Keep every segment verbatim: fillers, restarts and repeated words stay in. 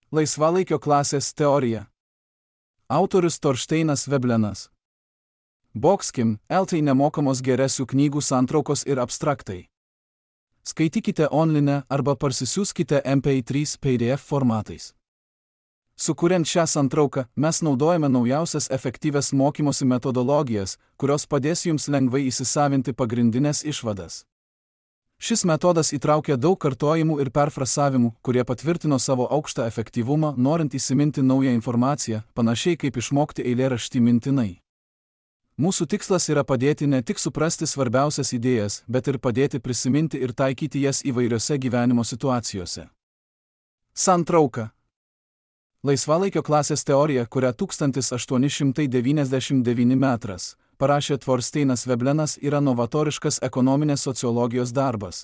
Laisvalaikio klasės teorija. Autorius Toršteinas Veblenas. Boxkim, eltai nemokamos geresių knygų santraukos ir abstraktai. Skaitykite online arba parsisiųskite M P trys P D F formatais. Sukuriant šią santrauką, mes naudojame naujausias efektyvias mokymosi metodologijas, kurios padės jums lengvai įsisavinti pagrindinės išvadas. Šis metodas įtraukia daug kartojimų ir perfrasavimų, kurie patvirtino savo aukštą efektyvumą, norint įsiminti naują informaciją, panašiai kaip išmokti eilėraštį mintinai. Mūsų tikslas yra padėti ne tik suprasti svarbiausias idėjas, bet ir padėti prisiminti ir taikyti jas įvairiose gyvenimo situacijose. Santrauka. Laisvalaikio klasės teorija, kurią tūkstantis aštuoni šimtai devyniasdešimt devyni metras parašė Toršteinas Veblenas, yra novatoriškas ekonominės sociologijos darbas.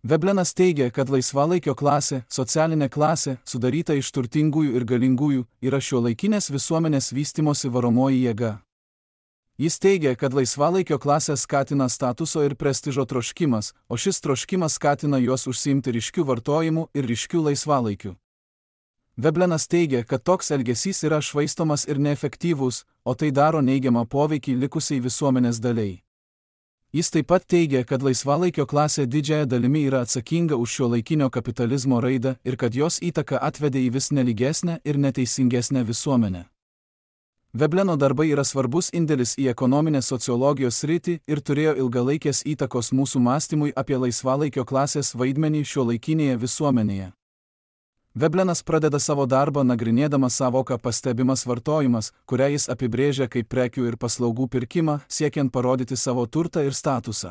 Veblenas teigia, kad laisvalaikio klasė, socialinė klasė, sudaryta iš turtingųjų ir galingųjų, yra šiuolaikinės visuomenės vystymosi varomoji jėga. Jis teigia, kad laisvalaikio klasę skatina statuso ir prestižo troškimas, o šis troškimas skatina juos užsiimti ryškių vartojimų ir ryškių laisvalaikių. Veblenas teigia, kad toks elgesys yra švaistomas ir neefektyvus, o tai daro neigiamą poveikį likusiai visuomenės daliai. Jis taip pat teigia, kad laisvalaikio klasė didžiąją dalimi yra atsakinga už šiuolaikinio kapitalizmo raidą ir kad jos įtaka atvedė į vis nelygesnę ir neteisingesnę visuomenę. Vebleno darbai yra svarbus indėlis į ekonominės sociologijos sritį ir turėjo ilgalaikės įtakos mūsų mąstymui apie laisvalaikio klasės vaidmenį šiuolaikinėje visuomenėje. Veblenas pradeda savo darbą nagrinėdamas sąvoką pastebimas vartojimas, kurią jis apibrėžia kaip prekių ir paslaugų pirkimą, siekiant parodyti savo turtą ir statusą.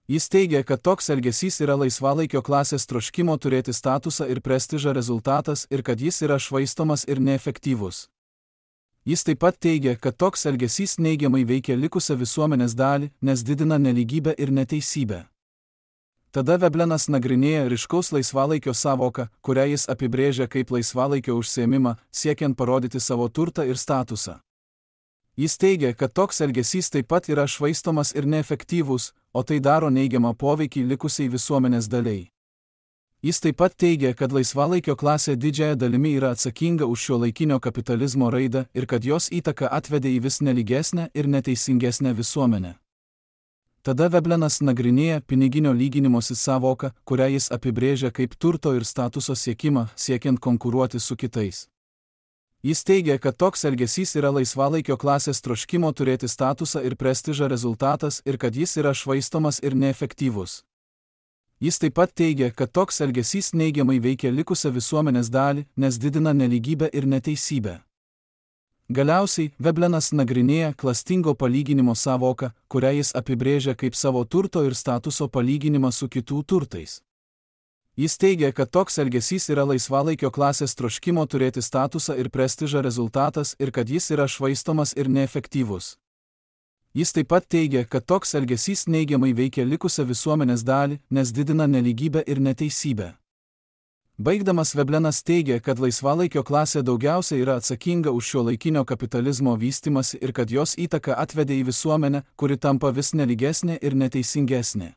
Jis teigia, kad toks elgesys yra laisvalaikio klasės troškimo turėti statusą ir prestižą rezultatas ir kad jis yra švaistomas ir neefektyvus. Jis taip pat teigia, kad toks elgesys neigiamai veikia likusią visuomenės dalį, nes didina nelygybę ir neteisybę. Tada Veblenas nagrinėja ryškaus laisvalaikio sąvoką, kurią jis apibrėžia kaip laisvalaikio užsiėmimą, siekiant parodyti savo turtą ir statusą. Jis teigia, kad toks elgesys taip pat yra švaistomas ir neefektyvus, o tai daro neigiamą poveikį likusiai visuomenės daliai. Jis taip pat teigia, kad laisvalaikio klasė didžiąją dalimi yra atsakinga už šiuolaikinio kapitalizmo raidą ir kad jos įtaka atvedė į vis nelygesnę ir neteisingesnę visuomenę. Tada Veblenas nagrinėja piniginio lyginimosi sąvoką, kurią jis apibrėžia kaip turto ir statuso siekimą, siekiant konkuruoti su kitais. Jis teigia, kad toks elgesys yra laisvalaikio klasės troškimo turėti statusą ir prestižą rezultatas ir kad jis yra švaistomas ir neefektyvus. Jis taip pat teigia, kad toks elgesys neigiamai veikia likusią visuomenės dalį, nes didina nelygybę ir neteisybę. Galiausiai, Veblenas nagrinėja klastingo palyginimo sąvoką, kurią jis apibrėžia kaip savo turto ir statuso palyginimą su kitų turtais. Jis teigia, kad toks elgesys yra laisvalaikio klasės troškimo turėti statusą ir prestižą rezultatas ir kad jis yra švaistomas ir neefektyvus. Jis taip pat teigia, kad toks elgesys neigiamai veikia likusią visuomenės dalį, nes didina nelygybę ir neteisybę. Baigdamas Veblenas teigia, kad laisvalaikio klasė daugiausia yra atsakinga už šiuolaikinio kapitalizmo vystymąsi ir kad jos įtaka atvedė į visuomenę, kuri tampa vis nelygesnė ir neteisingesnė.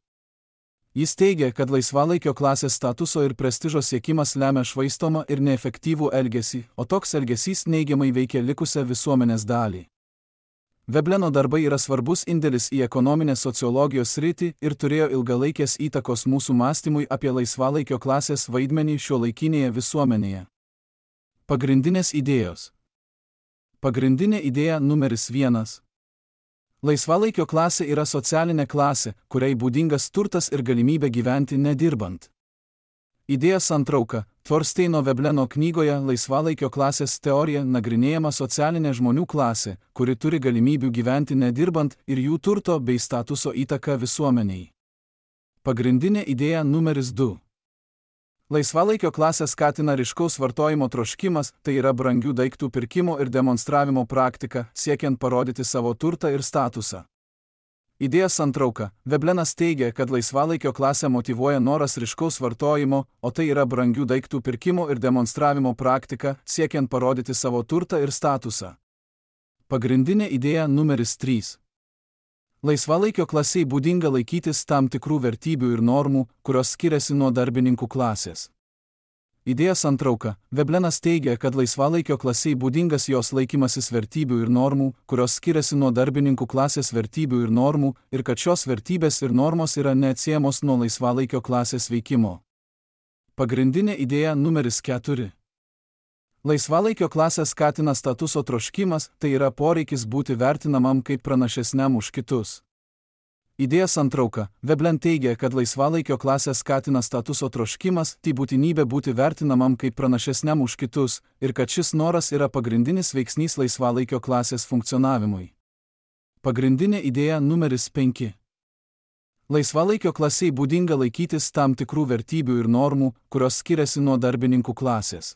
Jis teigia, kad laisvalaikio klasės statuso ir prestižo siekimas lemia švaistomą ir neefektyvų elgesį, o toks elgesys neigiamai veikia likusią visuomenės dalį. Vebleno darbai yra svarbus indėlis į ekonominės sociologijos sritį ir turėjo ilgalaikės įtakos mūsų mąstymui apie laisvalaikio klasės vaidmenį šiuolaikinėje visuomenėje. Pagrindinės idėjos. Pagrindinė idėja numeris vienas. Laisvalaikio klasė yra socialinė klasė, kuriai būdingas turtas ir galimybė gyventi nedirbant. Idėja santrauka. Toršteino Vebleno knygoje Laisvalaikio klasės teorija nagrinėjama socialinė žmonių klasė, kuri turi galimybių gyventi nedirbant ir jų turto bei statuso įtaka visuomeniai. Pagrindinė idėja numeris du. Laisvalaikio klasę skatina ryškaus vartojimo troškimas, tai yra brangių daiktų pirkimo ir demonstravimo praktika, siekiant parodyti savo turtą ir statusą. Idėja santrauka. Veblenas teigia, kad laisvalaikio klasę motyvuoja noras ryškaus vartojimo, o tai yra brangių daiktų pirkimo ir demonstravimo praktika, siekiant parodyti savo turtą ir statusą. Pagrindinė idėja numeris trys. Laisvalaikio klasiai būdinga laikytis tam tikrų vertybių ir normų, kurios skiriasi nuo darbininkų klasės. Idėjas santrauka. Veblenas teigia, kad laisvalaikio klasiai būdingas jos laikymasis vertybių ir normų, kurios skiriasi nuo darbininkų klasės vertybių ir normų, ir kad šios vertybės ir normos yra neatsiejamos nuo laisvalaikio klasės veikimo. Pagrindinė idėja numeris keturi. Laisvalaikio klasę skatina statuso troškimas, tai yra poreikis būti vertinamam kaip pranašesniam už kitus. Idėja santrauka. Veblen teigia, kad laisvalaikio klasę skatina statuso troškimas, tai būtinybė būti vertinamam kaip pranašesniam už kitus, ir kad šis noras yra pagrindinis veiksnys laisvalaikio klasės funkcionavimui. Pagrindinė idėja numeris penki. Laisvalaikio klasiai būdinga laikytis tam tikrų vertybių ir normų, kurios skiriasi nuo darbininkų klasės.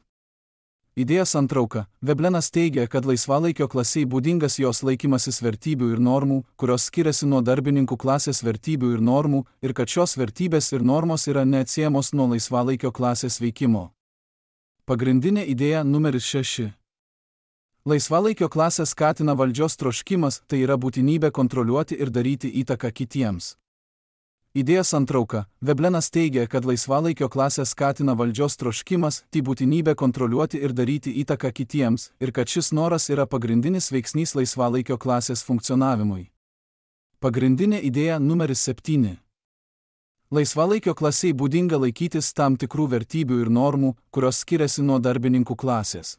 Idėja santrauka. Veblenas teigia, kad laisvalaikio klasiai būdingas jos laikymasis vertybių ir normų, kurios skiriasi nuo darbininkų klasės vertybių ir normų, ir kad šios vertybės ir normos yra neatsiejamos nuo laisvalaikio klasės veikimo. Pagrindinė idėja numeris šeši. Laisvalaikio klasę skatina valdžios troškimas, tai yra būtinybė kontroliuoti ir daryti įtaką kitiems. Idėja santrauka. Veblenas teigia, kad laisvalaikio klasę skatina valdžios troškimas, tai būtinybė kontroliuoti ir daryti įtaką kitiems, ir kad šis noras yra pagrindinis veiksnys laisvalaikio klasės funkcionavimui. Pagrindinė idėja numeris septyni. Laisvalaikio klasiai būdinga laikytis tam tikrų vertybių ir normų, kurios skiriasi nuo darbininkų klasės.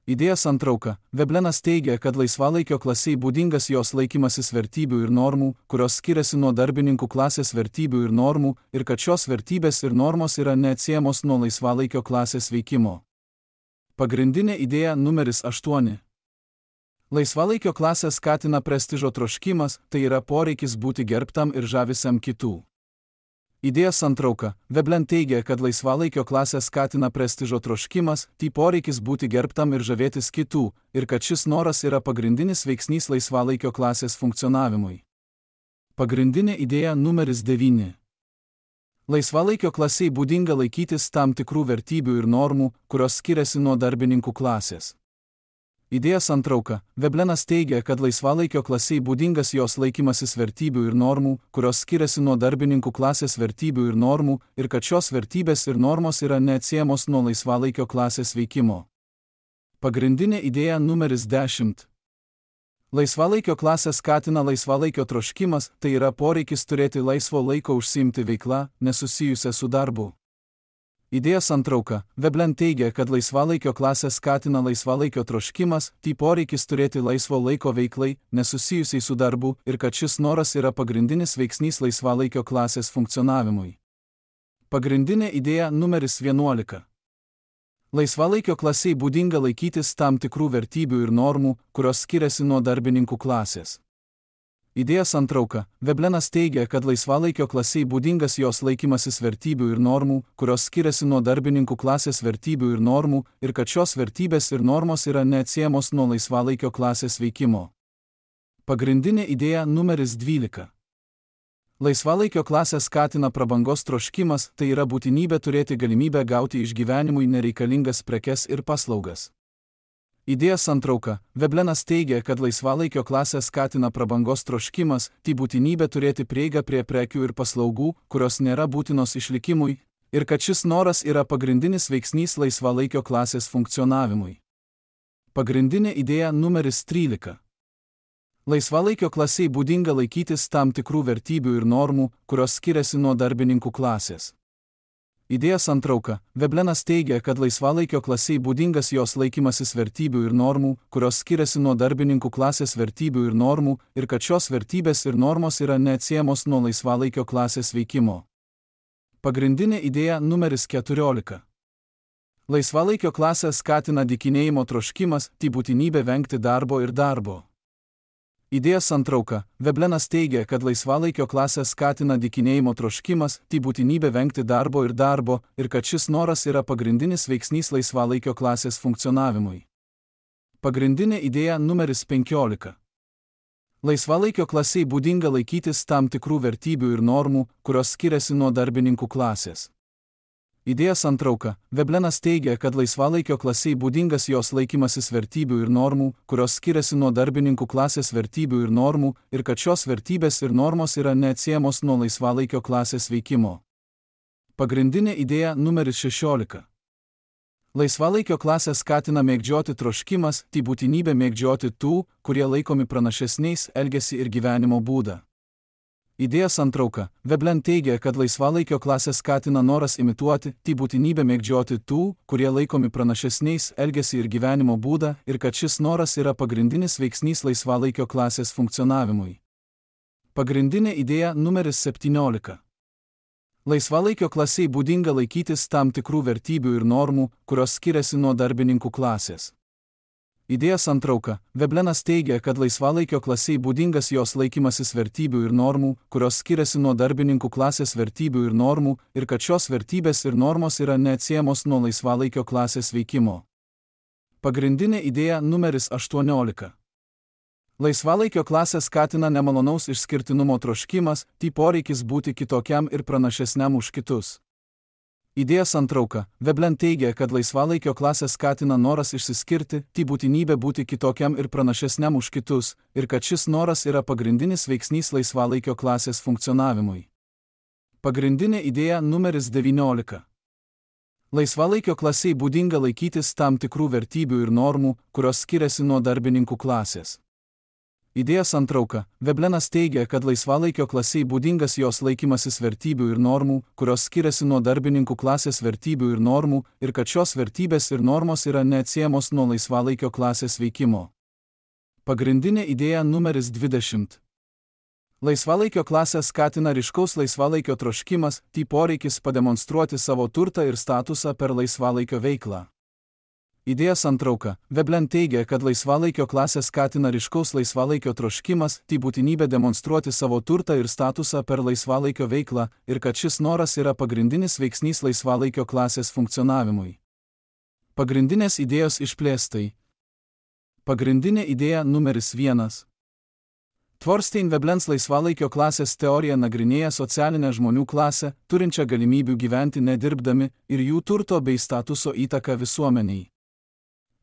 Idėja santrauka. Veblenas teigia, kad laisvalaikio klasiai būdingas jos laikymasis vertybių ir normų, kurios skiriasi nuo darbininkų klasės vertybių ir normų, ir kad šios vertybės ir normos yra neatsiejamos nuo laisvalaikio klasės veikimo. Pagrindinė idėja numeris aštuoni. Laisvalaikio klasę skatina prestižo troškimas, tai yra poreikis būti gerbtam ir žavisiam kitų. Idėja santrauka. Veblen teigia, kad laisvalaikio klasę skatina prestižo troškimas, tai poreikis būti gerbtam ir žavėtis kitų, ir kad šis noras yra pagrindinis veiksnys laisvalaikio klasės funkcionavimui. Pagrindinė idėja numeris devyni. Laisvalaikio klasiai būdinga laikytis tam tikrų vertybių ir normų, kurios skiriasi nuo darbininkų klasės. Idėja santrauka. Veblenas teigia, kad laisvalaikio klasiai būdingas jos laikymasis vertybių ir normų, kurios skiriasi nuo darbininkų klasės vertybių ir normų, ir kad šios vertybės ir normos yra neatsiejamos nuo laisvalaikio klasės veikimo. Pagrindinė idėja numeris dešimt. Laisvalaikio klasę skatina laisvalaikio troškimas, tai yra poreikis turėti laisvo laiko užsiimti veiklą, nesusijusią su darbu. Idėja santrauka. Veblen teigia, kad laisvalaikio klasę skatina laisvalaikio troškimas, tai poreikis turėti laisvo laiko veiklai, nesusijusiai su darbu, ir kad šis noras yra pagrindinis veiksnys laisvalaikio klasės funkcionavimui. Pagrindinė idėja numeris vienuolika. Laisvalaikio klasiai būdinga laikytis tam tikrų vertybių ir normų, kurios skiriasi nuo darbininkų klasės. Idėja santrauka. Veblenas teigia, kad laisvalaikio klasiai būdingas jos laikymasis vertybių ir normų, kurios skiriasi nuo darbininkų klasės vertybių ir normų, ir kad šios vertybės ir normos yra neatsiejamos nuo laisvalaikio klasės veikimo. Pagrindinė idėja numeris dvylika. Laisvalaikio klasę skatina prabangos troškimas, tai yra būtinybė turėti galimybę gauti išgyvenimui nereikalingas prekes ir paslaugas. Idėja santrauka. Veblenas teigia, kad laisvalaikio klasę skatina prabangos troškimas, tai būtinybė turėti prieigą prie prekių ir paslaugų, kurios nėra būtinos išlikimui, ir kad šis noras yra pagrindinis veiksnys laisvalaikio klasės funkcionavimui. Pagrindinė idėja numeris trylika. Laisvalaikio klasiai būdinga laikytis tam tikrų vertybių ir normų, kurios skiriasi nuo darbininkų klasės. Idėja santrauka. Veblenas teigia, kad laisvalaikio klasiai būdingas jos laikymasis vertybių ir normų, kurios skiriasi nuo darbininkų klasės vertybių ir normų, ir kad šios vertybės ir normos yra neatsiejamos nuo laisvalaikio klasės veikimo. Pagrindinė idėja numeris keturiolika. Laisvalaikio klasę skatina dykinėjimo troškimas, tai būtinybė vengti darbo ir darbo. Idėja santrauka. Veblenas teigia, kad laisvalaikio klasę skatina dykinėjimo troškimas, tai būtinybė vengti darbo ir darbo, ir kad šis noras yra pagrindinis veiksnys laisvalaikio klasės funkcionavimui. Pagrindinė idėja numeris penkiolika. Laisvalaikio klasiai būdinga laikytis tam tikrų vertybių ir normų, kurios skiriasi nuo darbininkų klasės. Idėja santrauka. Veblenas teigia, kad laisvalaikio klasiai būdingas jos laikymasis vertybių ir normų, kurios skiriasi nuo darbininkų klasės vertybių ir normų, ir kad šios vertybės ir normos yra neatsiejamos nuo laisvalaikio klasės veikimo. Pagrindinė idėja numeris šešiolika. Laisvalaikio klasę skatina mėgdžioti troškimas, tai būtinybė mėgdžioti tų, kurie laikomi pranašesniais elgesį ir gyvenimo būdą. Idėja santrauka. Veblen teigia, kad laisvalaikio klasę skatina noras imituoti, tai būtinybė mėgdžioti tų, kurie laikomi pranašesniais elgesį ir gyvenimo būdą, ir kad šis noras yra pagrindinis veiksnys laisvalaikio klasės funkcionavimui. Pagrindinė idėja numeris septyniolika. Laisvalaikio klasiai būdinga laikytis tam tikrų vertybių ir normų, kurios skiriasi nuo darbininkų klasės. Idėja santrauka. Veblenas teigia, kad laisvalaikio klasiai būdingas jos laikymasis vertybių ir normų, kurios skiriasi nuo darbininkų klasės vertybių ir normų, ir kad šios vertybės ir normos yra neatsiejamos nuo laisvalaikio klasės veikimo. Pagrindinė idėja numeris aštuoniolika. Laisvalaikio klasę skatina nemalonaus išskirtinumo troškimas, tai poreikis būti kitokiam ir pranašesniam už kitus. Idėja santrauka. Veblen teigia, kad laisvalaikio klasę skatina noras išsiskirti, tai būtinybė būti kitokiam ir pranašesniam už kitus, ir kad šis noras yra pagrindinis veiksnys laisvalaikio klasės funkcionavimui. Pagrindinė idėja numeris devyniolika. Laisvalaikio klasiai būdinga laikytis tam tikrų vertybių ir normų, kurios skiriasi nuo darbininkų klasės. Idėja santrauka. Veblenas teigia, kad laisvalaikio klasiai būdingas jos laikymasis vertybių ir normų, kurios skiriasi nuo darbininkų klasės vertybių ir normų, ir kad šios vertybės ir normos yra neatsiejamos nuo laisvalaikio klasės veikimo. Pagrindinė idėja numeris dvidešimt. Laisvalaikio klasę skatina ryškaus laisvalaikio troškimas, tai poreikis pademonstruoti savo turtą ir statusą per laisvalaikio veiklą. Idėja santrauka. Veblen teigia, kad laisvalaikio klasę skatina ryškaus laisvalaikio troškimas, tai būtinybė demonstruoti savo turtą ir statusą per laisvalaikio veiklą, ir kad šis noras yra pagrindinis veiksnys laisvalaikio klasės funkcionavimui. Pagrindinės idėjos išplėstai. Pagrindinė idėja numeris vienas. Thorstein Veblens laisvalaikio klasės teorija nagrinėja socialinę žmonių klasę, turinčią galimybių gyventi nedirbdami, ir jų turto bei statuso įtaką visuomeniai.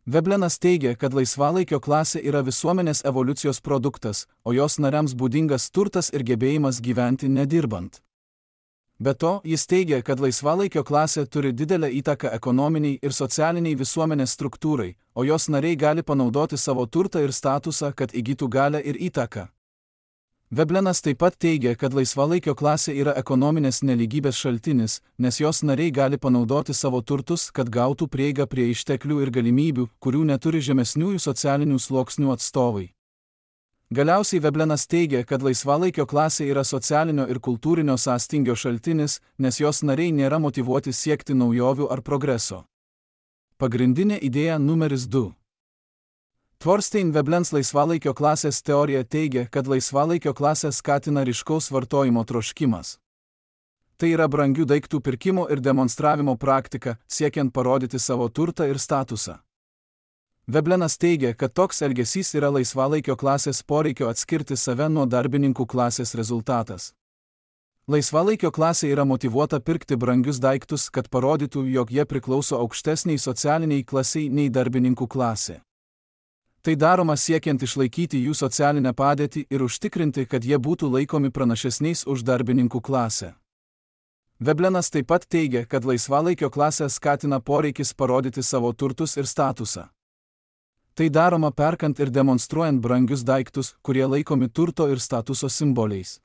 Veblenas teigia, kad laisvalaikio klasė yra visuomenės evoliucijos produktas, o jos nariams būdingas turtas ir gebėjimas gyventi nedirbant. Be to, jis teigia, kad laisvalaikio klasė turi didelę įtaką ekonominiai ir socialiniai visuomenės struktūrai, o jos nariai gali panaudoti savo turtą ir statusą, kad įgytų galią ir įtaką. Veblenas taip pat teigia, kad laisvalaikio klasė yra ekonominės nelygybės šaltinis, nes jos nariai gali panaudoti savo turtus, kad gautų prieigą prie išteklių ir galimybių, kurių neturi žemesniųjų socialinių sluoksnių atstovai. Galiausiai Veblenas teigia, kad laisvalaikio klasė yra socialinio ir kultūrinio sąstingio šaltinis, nes jos nariai nėra motyvuoti siekti naujovių ar progreso. Pagrindinė idėja numeris du. Thorstein Veblens laisvalaikio klasės teorija teigia, kad laisvalaikio klasę skatina ryškaus vartojimo troškimas. Tai yra brangių daiktų pirkimo ir demonstravimo praktika, siekiant parodyti savo turtą ir statusą. Veblenas teigia, kad toks elgesys yra laisvalaikio klasės poreikio atskirti save nuo darbininkų klasės rezultatas. Laisvalaikio klasė yra motyvuota pirkti brangius daiktus, kad parodytų, jog jie priklauso aukštesniai socialiniai klasiai nei darbininkų klasė. Tai daroma siekiant išlaikyti jų socialinę padėtį ir užtikrinti, kad jie būtų laikomi pranašesniais už darbininkų klasę. Veblenas taip pat teigia, kad laisvalaikio klasę skatina poreikis parodyti savo turtus ir statusą. Tai daroma perkant ir demonstruojant brangius daiktus, kurie laikomi turto ir statuso simboliais.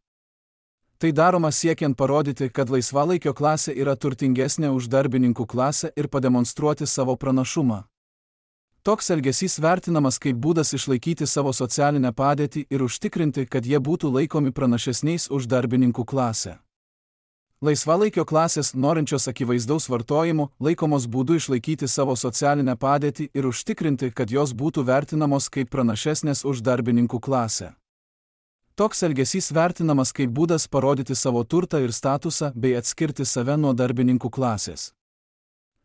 Tai daroma siekiant parodyti, kad laisvalaikio klasė yra turtingesnė už darbininkų klasę ir pademonstruoti savo pranašumą. Toks elgesys vertinamas kaip būdas išlaikyti savo socialinę padėtį ir užtikrinti, kad jie būtų laikomi pranašesniais už darbininkų klasę. Laisvalaikio klasės, norinčios akivaizdaus vartojimo, laikomos būdu išlaikyti savo socialinę padėtį ir užtikrinti, kad jos būtų vertinamos kaip pranašesnės už darbininkų klasę. Toks elgesys vertinamas kaip būdas parodyti savo turtą ir statusą bei atskirti save nuo darbininkų klasės.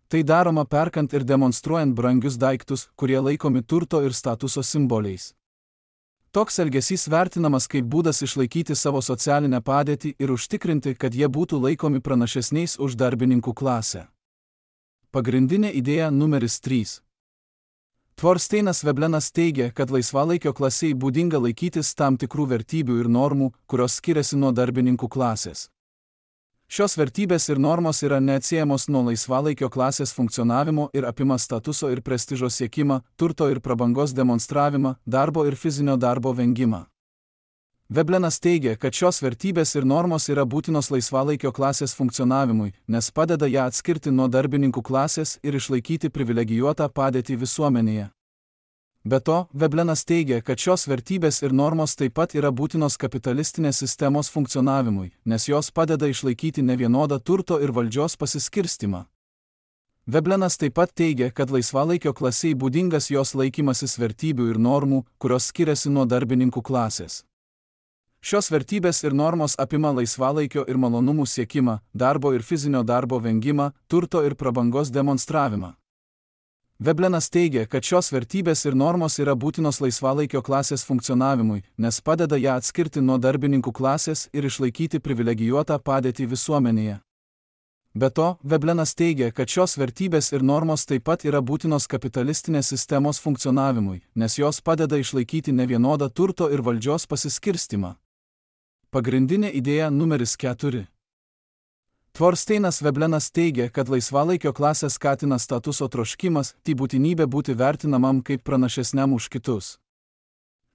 Tai daroma perkant ir demonstruojant brangius daiktus, kurie laikomi turto ir statuso simboliais. Toks elgesys vertinamas kaip būdas išlaikyti savo socialinę padėtį ir užtikrinti, kad jie būtų laikomi pranašesniais už darbininkų klasę. Pagrindinė idėja numeris trys. Thorsteinas Veblenas teigia, kad laisvalaikio klasiai būdinga laikytis tam tikrų vertybių ir normų, kurios skiriasi nuo darbininkų klasės. Šios vertybės ir normos yra neatsiejamos nuo laisvalaikio klasės funkcionavimo ir apima statuso ir prestižo siekimą, turto ir prabangos demonstravimą, darbo ir fizinio darbo vengimą. Veblenas teigia, kad šios vertybės ir normos yra būtinos laisvalaikio klasės funkcionavimui, nes padeda ją atskirti nuo darbininkų klasės ir išlaikyti privilegijuotą padėtį visuomenėje. Be to, Veblenas teigia, kad šios vertybės ir normos taip pat yra būtinos kapitalistinės sistemos funkcionavimui, nes jos padeda išlaikyti nevienodą turto ir valdžios pasiskirstimą. Veblenas taip pat teigia, kad laisvalaikio klasiai būdingas jos laikymasis vertybių ir normų, kurios skiriasi nuo darbininkų klasės. Šios vertybės ir normos apima laisvalaikio ir malonumų siekimą, darbo ir fizinio darbo vengimą, turto ir prabangos demonstravimą. Veblenas teigia, kad šios vertybės ir normos yra būtinos laisvalaikio klasės funkcionavimui, nes padeda ją atskirti nuo darbininkų klasės ir išlaikyti privilegijuotą padėtį visuomenėje. Be to, Veblenas teigia, kad šios vertybės ir normos taip pat yra būtinos kapitalistinės sistemos funkcionavimui, nes jos padeda išlaikyti nevienodą turto ir valdžios pasiskirstimą. Pagrindinė idėja numeris keturi. Tvorsteinas Veblenas teigia, kad laisvalaikio klasę skatina statuso troškimas, tai būtinybė būti vertinamam kaip pranašesniam už kitus.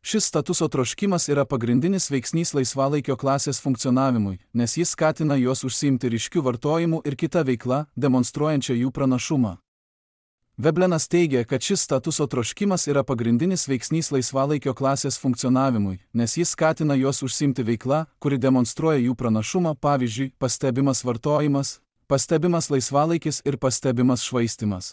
Šis statuso troškimas yra pagrindinis veiksnys laisvalaikio klasės funkcionavimui, nes jis skatina juos užsiimti ryškiu vartojimu ir kita veikla, demonstruojančia jų pranašumą. Veblenas teigia, kad šis statuso troškimas yra pagrindinis veiksnys laisvalaikio klasės funkcionavimui, nes jis skatina juos užsiimti veikla, kuri demonstruoja jų pranašumą, pavyzdžiui, pastebimas vartojimas, pastebimas laisvalaikis ir pastebimas švaistymas.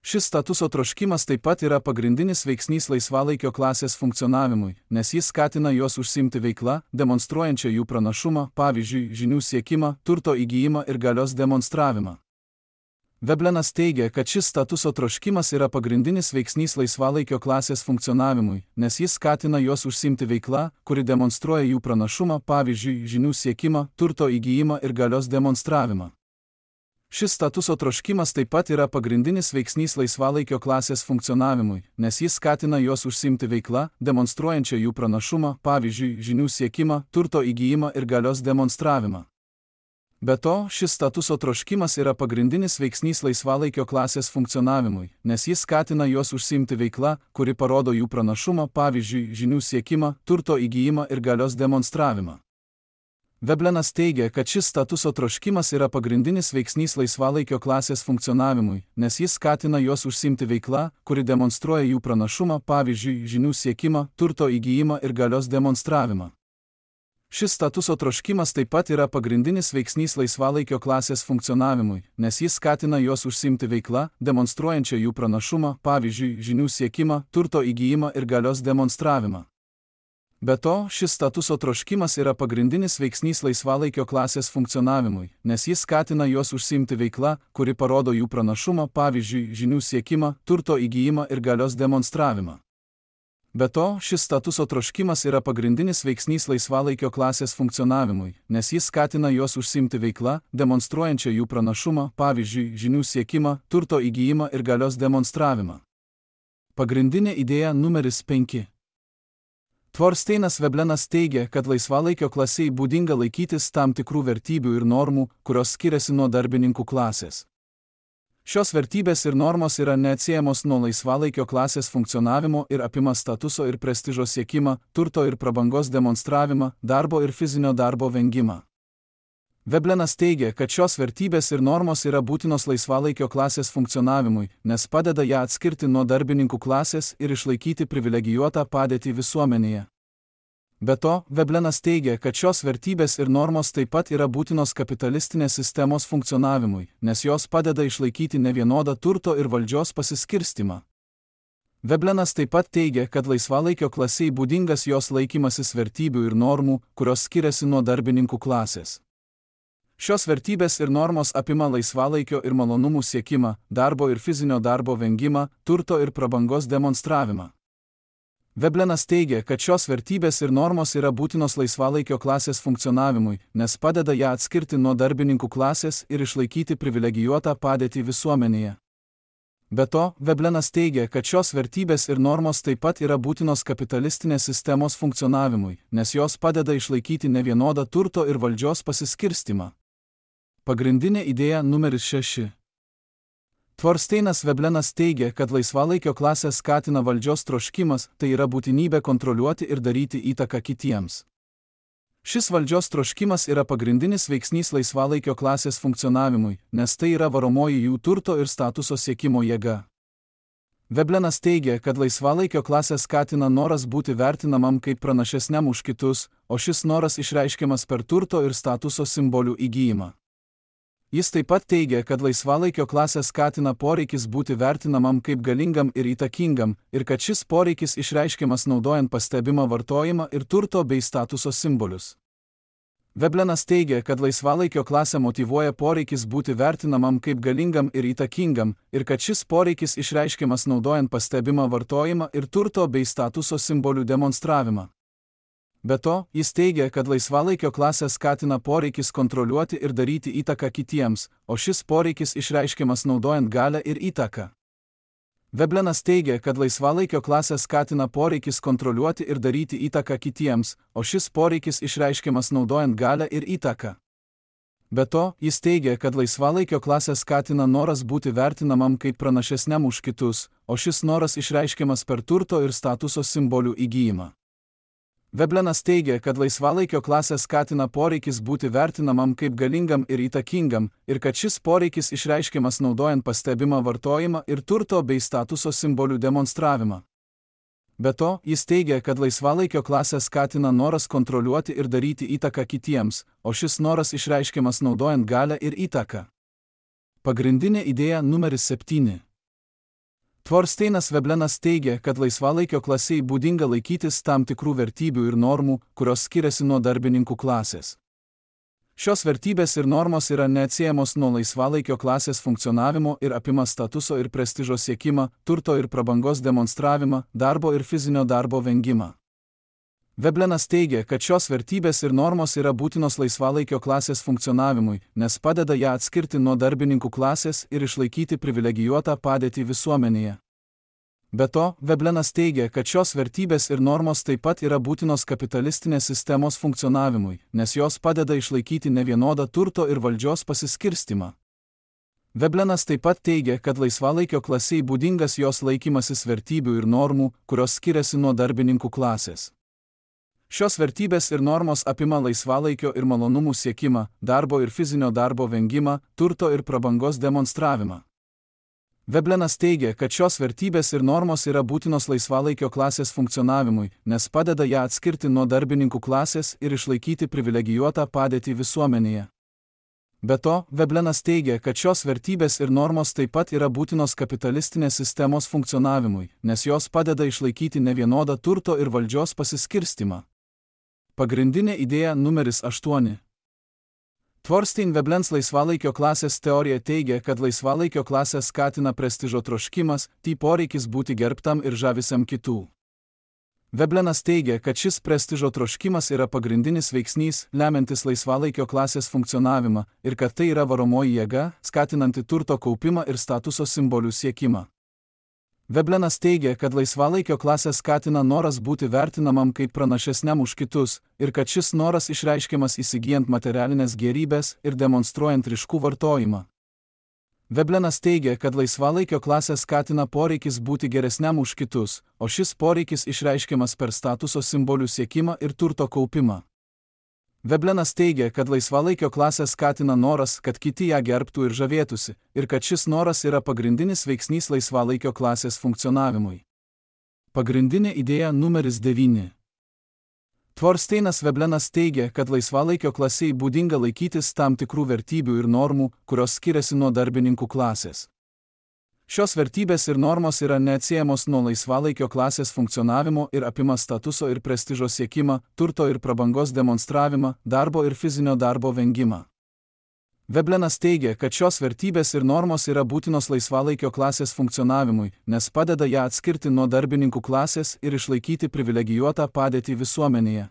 Šis statuso troškimas taip pat yra pagrindinis veiksnys laisvalaikio klasės funkcionavimui, nes jis skatina juos užsiimti veikla, demonstruojančią jų pranašumą, pavyzdžiui, žinių siekimą, turto įgyjimą ir galios demonstravimą. Veblenas teigia, kad šis statuso troškimas yra pagrindinis veiksnys laisvalaikio klasės funkcionavimui, nes jis skatina juos užsiimti veikla, kuri demonstruoja jų pranašumą, pavyzdžiui, žinių siekimą, turto įgyjimą ir galios demonstravimą. Šis statuso troškimas taip pat yra pagrindinis veiksnys laisvalaikio klasės funkcionavimui, nes jis skatina juos užsiimti veikla, demonstruojančią jų pranašumą, pavyzdžiui, žinių siekimą, turto įgyjimą ir galios demonstravimą. Be to, šis statuso troškimas yra pagrindinis veiksnys laisvalaikio klasės funkcionavimui, nes jis skatina juos užsiimti veikla, kuri parodo jų pranašumą, pavyzdžiui, žinių siekimą, turto įgyjimą ir galios demonstravimą. Veblenas teigia, kad šis statuso troškimas yra pagrindinis veiksnys laisvalaikio klasės funkcionavimui, nes jis skatina juos užsiimti veikla, kuri demonstruoja jų pranašumą, pavyzdžiui, žinių siekimą, turto įgyjimą ir galios demonstravimą. Šis statuso troškimas taip pat yra pagrindinis veiksnys laisvalaikio klasės funkcionavimui, nes jis skatina juos užsiimti veikla, demonstruojančią jų pranašumą, pavyzdžiui, žinių siekimą, turto įgyjimą ir galios demonstravimą. Be to, šis statuso troškimas yra pagrindinis veiksnys laisvalaikio klasės funkcionavimui, nes jis skatina juos užsiimti veikla, kuri parodo jų pranašumą, pavyzdžiui, žinių siekimą, turto įgyjimą ir galios demonstravimą. Be to, šis statuso troškimas yra pagrindinis veiksnys laisvalaikio klasės funkcionavimui, nes jis skatina juos užsiimti veikla, demonstruojančią jų pranašumą, pavyzdžiui, žinių siekimą, turto įgyjimą ir galios demonstravimą. Pagrindinė idėja numeris penki. Tvorsteinas Veblenas teigia, kad laisvalaikio klasiai būdinga laikytis tam tikrų vertybių ir normų, kurios skiriasi nuo darbininkų klasės. Šios vertybės ir normos yra neatsiejamos nuo laisvalaikio klasės funkcionavimo ir apima statuso ir prestižo siekimą, turto ir prabangos demonstravimą, darbo ir fizinio darbo vengimą. Veblenas teigia, kad šios vertybės ir normos yra būtinos laisvalaikio klasės funkcionavimui, nes padeda ją atskirti nuo darbininkų klasės ir išlaikyti privilegijuotą padėtį visuomenėje. Be to, Veblenas teigia, kad šios vertybės ir normos taip pat yra būtinos kapitalistinės sistemos funkcionavimui, nes jos padeda išlaikyti nevienodą turto ir valdžios pasiskirstimą. Veblenas taip pat teigia, kad laisvalaikio klasiai būdingas jos laikymasis vertybių ir normų, kurios skiriasi nuo darbininkų klasės. Šios vertybės ir normos apima laisvalaikio ir malonumų siekimą, darbo ir fizinio darbo vengimą, turto ir prabangos demonstravimą. Veblenas teigia, kad šios vertybės ir normos yra būtinos laisvalaikio klasės funkcionavimui, nes padeda ją atskirti nuo darbininkų klasės ir išlaikyti privilegijuotą padėtį visuomenėje. Be to, Veblenas teigia, kad šios vertybės ir normos taip pat yra būtinos kapitalistinės sistemos funkcionavimui, nes jos padeda išlaikyti nevienodą turto ir valdžios pasiskirstimą. Pagrindinė idėja numeris šeši. Tvorsteinas Veblenas teigia, kad laisvalaikio klasę skatina valdžios troškimas, tai yra būtinybė kontroliuoti ir daryti įtaką kitiems. Šis valdžios troškimas yra pagrindinis veiksnys laisvalaikio klasės funkcionavimui, nes tai yra varomoji jų turto ir statuso siekimo jėga. Veblenas teigia, kad laisvalaikio klasę skatina noras būti vertinamam kaip pranašesniam už kitus, o šis noras išreiškiamas per turto ir statuso simbolių įgyjimą. Jis taip pat teigia, kad laisvalaikio klasę skatina poreikis būti vertinamam kaip galingam ir įtakingam, ir kad šis poreikis išreiškiamas naudojant pastebimą vartojimą ir turto bei statuso simbolius. Veblenas teigia, kad laisvalaikio klasę motyvuoja poreikis būti vertinamam kaip galingam ir įtakingam, ir kad šis poreikis išreiškiamas naudojant pastebimą vartojimą ir turto bei statuso simbolių demonstravimą. Be to, jis teigia, kad laisvalaikio klasę skatina poreikis kontroliuoti ir daryti įtaką kitiems, o šis poreikis išreiškiamas naudojant galią ir įtaką. Veblenas teigia, kad laisvalaikio klasę skatina poreikis kontroliuoti ir daryti įtaką kitiems, o šis poreikis išreiškiamas naudojant galią ir įtaką. Be to, jis teigia, kad laisvalaikio klasę skatina noras būti vertinamam kaip pranašesniam už kitus, o šis noras išreiškiamas per turto ir statuso simbolių įgyjimą. Veblenas teigia, kad laisvalaikio klasę skatina poreikis būti vertinamam kaip galingam ir įtakingam, ir kad šis poreikis išreiškiamas naudojant pastebimą vartojimą ir turto bei statuso simbolių demonstravimą. Be to, jis teigia, kad laisvalaikio klasę skatina noras kontroliuoti ir daryti įtaką kitiems, o šis noras išreiškiamas naudojant galią ir įtaką. Pagrindinė idėja numeris septyni. Tvorsteinas Veblenas teigia, kad laisvalaikio klasei būdinga laikytis tam tikrų vertybių ir normų, kurios skiriasi nuo darbininkų klasės. Šios vertybės ir normos yra neatsiejamos nuo laisvalaikio klasės funkcionavimo ir apima statuso ir prestižo siekimą, turto ir prabangos demonstravimą, darbo ir fizinio darbo vengimą. Veblenas teigia, kad šios vertybės ir normos yra būtinos laisvalaikio klasės funkcionavimui, nes padeda ją atskirti nuo darbininkų klasės ir išlaikyti privilegijuotą padėtį visuomenėje. Be to, Veblenas teigia, kad šios vertybės ir normos taip pat yra būtinos kapitalistinės sistemos funkcionavimui, nes jos padeda išlaikyti nevienodą turto ir valdžios pasiskirstimą. Veblenas taip pat teigia, kad laisvalaikio klasei būdingas jos laikymasis vertybių ir normų, kurios skiriasi nuo darbininkų klasės. Šios vertybės ir normos apima laisvalaikio ir malonumų siekimą, darbo ir fizinio darbo vengimą, turto ir prabangos demonstravimą. Veblenas teigia, kad šios vertybės ir normos yra būtinos laisvalaikio klasės funkcionavimui, nes padeda ją atskirti nuo darbininkų klasės ir išlaikyti privilegijuotą padėtį visuomenėje. Be to, Veblenas teigia, kad šios vertybės ir normos taip pat yra būtinos kapitalistinės sistemos funkcionavimui, nes jos padeda išlaikyti nevienodą turto ir valdžios pasiskirstimą. Pagrindinė idėja numeris aštuoni. Tvorstein Veblenas laisvalaikio klasės teorija teigia, kad laisvalaikio klasę skatina prestižo troškimas, tai poreikis būti gerbtam ir žavisiam kitų. Veblenas teigia, kad šis prestižo troškimas yra pagrindinis veiksnys, lemiantis laisvalaikio klasės funkcionavimą, ir kad tai yra varomoji jėga, skatinanti turto kaupimą ir statuso simbolių siekimą. Veblenas teigia, kad laisvalaikio klasę skatina noras būti vertinamam kaip pranašesniam už kitus, ir kad šis noras išreiškiamas įsigijant materialinės gėrybės ir demonstruojant ryškų vartojimą. Veblenas teigia, kad laisvalaikio klasę skatina poreikis būti geresniam už kitus, o šis poreikis išreiškiamas per statuso simbolių siekimą ir turto kaupimą. Veblenas teigia, kad laisvalaikio klasę skatina noras, kad kiti ją gerbtų ir žavėtųsi, ir kad šis noras yra pagrindinis veiksnys laisvalaikio klasės funkcionavimui. Pagrindinė idėja numeris devyni. Tvorsteinas Veblenas teigia, kad laisvalaikio klasei būdinga laikytis tam tikrų vertybių ir normų, kurios skiriasi nuo darbininkų klasės. Šios vertybės ir normos yra neatsiejamos nuo laisvalaikio klasės funkcionavimo ir apima statuso ir prestižo siekimą, turto ir prabangos demonstravimą, darbo ir fizinio darbo vengimą. Veblenas teigia, kad šios vertybės ir normos yra būtinos laisvalaikio klasės funkcionavimui, nes padeda ją atskirti nuo darbininkų klasės ir išlaikyti privilegijuotą padėtį visuomenėje.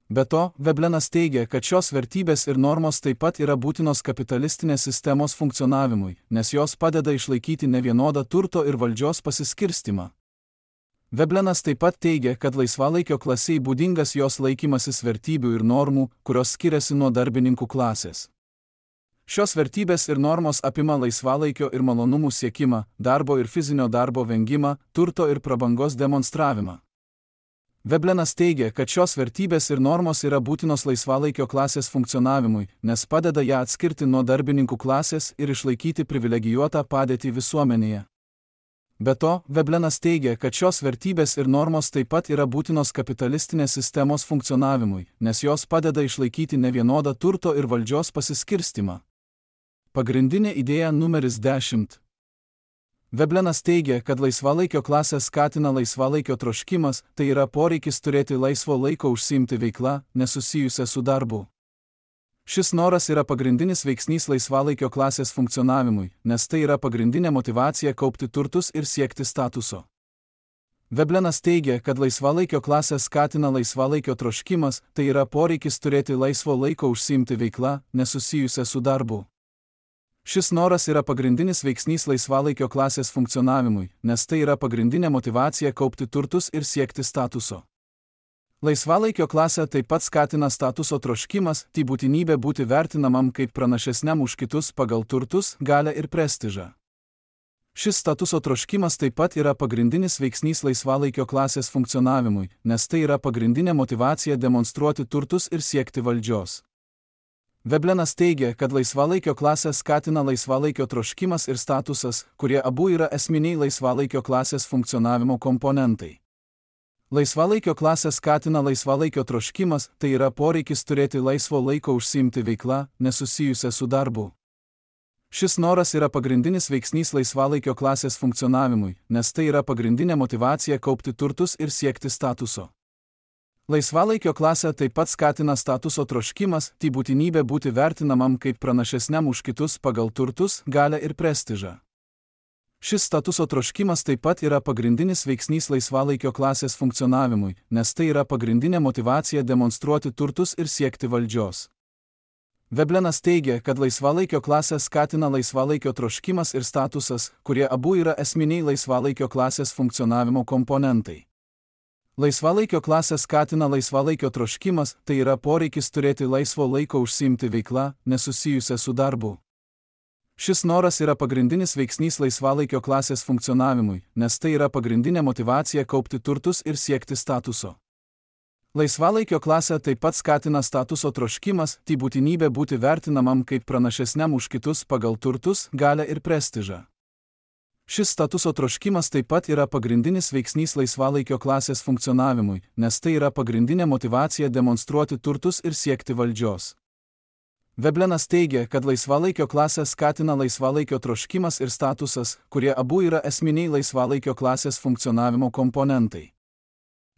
Be to, Veblenas teigia, kad šios vertybės ir normos taip pat yra būtinos kapitalistinės sistemos funkcionavimui, nes jos padeda išlaikyti nevienodą turto ir valdžios pasiskirstimą. Veblenas taip pat teigia, kad laisvalaikio klasei būdingas jos laikymasis vertybių ir normų, kurios skiriasi nuo darbininkų klasės. Šios vertybės ir normos apima laisvalaikio ir malonumų siekimą, darbo ir fizinio darbo vengimą, turto ir prabangos demonstravimą. Veblenas teigia, kad šios vertybės ir normos yra būtinos laisvalaikio klasės funkcionavimui, nes padeda ją atskirti nuo darbininkų klasės ir išlaikyti privilegijuotą padėtį visuomenėje. Be to, Veblenas teigia, kad šios vertybės ir normos taip pat yra būtinos kapitalistinės sistemos funkcionavimui, nes jos padeda išlaikyti nevienodą turto ir valdžios pasiskirstimą. Pagrindinė idėja numeris dešimt. Veblenas teigia, kad laisvalaikio klasę skatina laisvalaikio troškimas, tai yra poreikis turėti laisvo laiko užsiimti veiklą, nesusijusią su darbu. Šis noras yra pagrindinis veiksnys laisvalaikio klasės funkcionavimui, nes tai yra pagrindinė motyvacija kaupti turtus ir siekti statuso. Veblenas teigia, kad laisvalaikio klasę skatina laisvalaikio troškimas, tai yra poreikis turėti laisvo laiko užsiimti veiklą, nesusijusią su darbu. Šis noras yra pagrindinis veiksnys laisvalaikio klasės funkcionavimui, nes tai yra pagrindinė motyvacija kaupti turtus ir siekti statuso. Laisvalaikio klasę taip pat skatina statuso troškimas, tai būtinybė būti vertinamam kaip pranašesniam už kitus pagal turtus, galią ir prestižą. Šis statuso troškimas taip pat yra pagrindinis veiksnys laisvalaikio klasės funkcionavimui, nes tai yra pagrindinė motyvacija demonstruoti turtus ir siekti valdžios. Veblenas teigia, kad laisvalaikio klasę skatina laisvalaikio troškimas ir statusas, kurie abu yra esminiai laisvalaikio klasės funkcionavimo komponentai. Laisvalaikio klasę skatina laisvalaikio troškimas, tai yra poreikis turėti laisvo laiko užsiimti veiklą, nesusijusią su darbu. Šis noras yra pagrindinis veiksnys laisvalaikio klasės funkcionavimui, nes tai yra pagrindinė motyvacija kaupti turtus ir siekti statuso. Laisvalaikio klasę taip pat skatina statuso troškimas, tai būtinybė būti vertinamam kaip pranašesniam už kitus pagal turtus, galią ir prestižą. Šis statuso troškimas taip pat yra pagrindinis veiksnys laisvalaikio klasės funkcionavimui, nes tai yra pagrindinė motyvacija demonstruoti turtus ir siekti valdžios. Veblenas teigia, kad laisvalaikio klasę skatina laisvalaikio troškimas ir statusas, kurie abu yra esminiai laisvalaikio klasės funkcionavimo komponentai. Laisvalaikio klasę skatina laisvalaikio troškimas, tai yra poreikis turėti laisvo laiko užsiimti veiklą, nesusijusią su darbu. Šis noras yra pagrindinis veiksnys laisvalaikio klasės funkcionavimui, nes tai yra pagrindinė motyvacija kaupti turtus ir siekti statuso. Laisvalaikio klasę taip pat skatina statuso troškimas, tai būtinybė būti vertinamam kaip pranašesniam už kitus pagal turtus, galią ir prestižą. Šis statuso troškimas taip pat yra pagrindinis veiksnys laisvalaikio klasės funkcionavimui, nes tai yra pagrindinė motyvacija demonstruoti turtus ir siekti valdžios. Veblenas teigia, kad laisvalaikio klasę skatina laisvalaikio troškimas ir statusas, kurie abu yra esminiai laisvalaikio klasės funkcionavimo komponentai.